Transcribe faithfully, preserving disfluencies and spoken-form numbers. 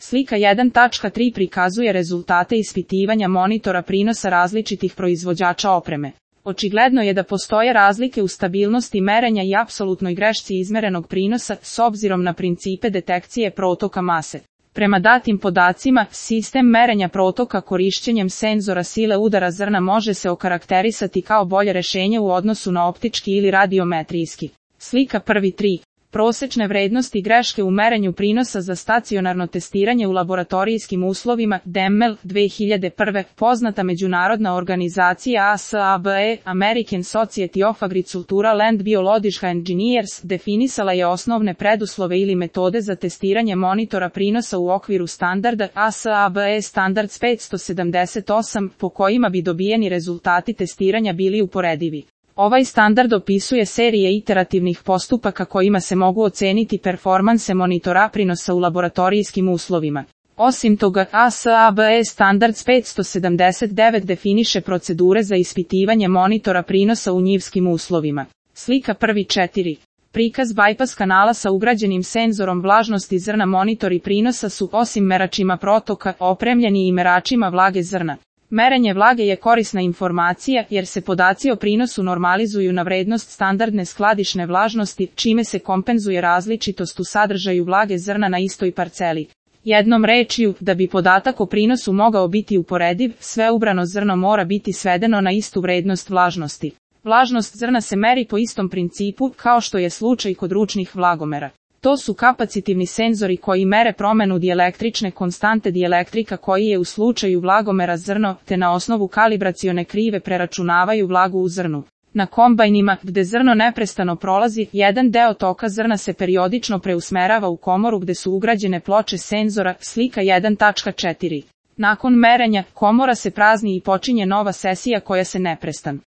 Slika jedan tačka tri prikazuje rezultate ispitivanja monitora prinosa različitih proizvođača opreme. Očigledno je da postoje razlike u stabilnosti merenja i apsolutnoj grešci izmerenog prinosa s obzirom na principe detekcije protoka mase. Prema datim podacima, sistem merenja protoka korišćenjem senzora sile udara zrna može se okarakterisati kao bolje rešenje u odnosu na optički ili radiometrijski. Slika prvi tri. Prosečne vrednosti greške u merenju prinosa za stacionarno testiranje u laboratorijskim uslovima D E M L dve hiljade prve. Poznata međunarodna organizacija A S A B E, American Society of Agricultural and Biological Engineers, definisala je osnovne preduslove ili metode za testiranje monitora prinosa u okviru standarda A S A B E Standards petsto sedamdeset osam, po kojima bi dobijeni rezultati testiranja bili uporedivi. Ovaj standard opisuje serije iterativnih postupaka kojima se mogu oceniti performanse monitora prinosa u laboratorijskim uslovima. Osim toga, A S A B E Standards petsto sedamdeset devet definiše procedure za ispitivanje monitora prinosa u njivskim uslovima. Slika prvi četiri. Prikaz bypass kanala sa ugrađenim senzorom vlažnosti zrna. Monitori prinosa su, osim meračima protoka, opremljeni i meračima vlage zrna. Merenje vlage je korisna informacija jer se podaci o prinosu normalizuju na vrednost standardne skladišne vlažnosti, čime se kompenzuje različitost u sadržaju vlage zrna na istoj parceli. Jednom rečju, da bi podatak o prinosu mogao biti uporediv, sve ubrano zrno mora biti svedeno na istu vrednost vlažnosti. Vlažnost zrna se meri po istom principu kao što je slučaj kod ručnih vlagomera. To su kapacitivni senzori koji mere promenu dijelektrične konstante dijelektrika koji je u slučaju vlagomera zrno, te na osnovu kalibracione krive preračunavaju vlagu u zrnu. Na kombajnima, gde zrno neprestano prolazi, jedan deo toka zrna se periodično preusmerava u komoru gde su ugrađene ploče senzora. Slika jedan tačka četiri. Nakon merenja, komora se prazni i počinje nova sesija koja se neprestan